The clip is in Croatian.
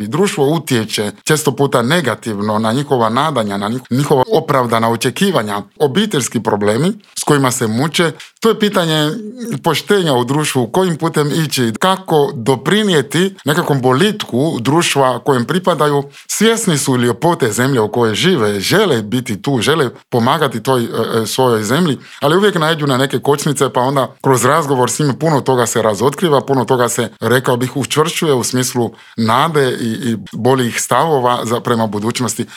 I društvo utječe često puta negativno na njihova nadanja, na njihova opravdana očekivanja. Obiteljski problemi s kojima se muče, to je pitanje poštenja u društvu, kojim putem ići, kako doprinijeti nekakvom boljitku društva kojem pripadaju. Svjesni su ljepote zemlje u kojoj žive, žele biti tu, žele pomagati toj svojoj zemlji, ali uvijek naiđu na neke kočnice, pa onda kroz razgovor s njima puno toga se razotkriva, puno toga se, rekao bih, učvršćuje u smislu nade i boljih stavova prema budućnosti.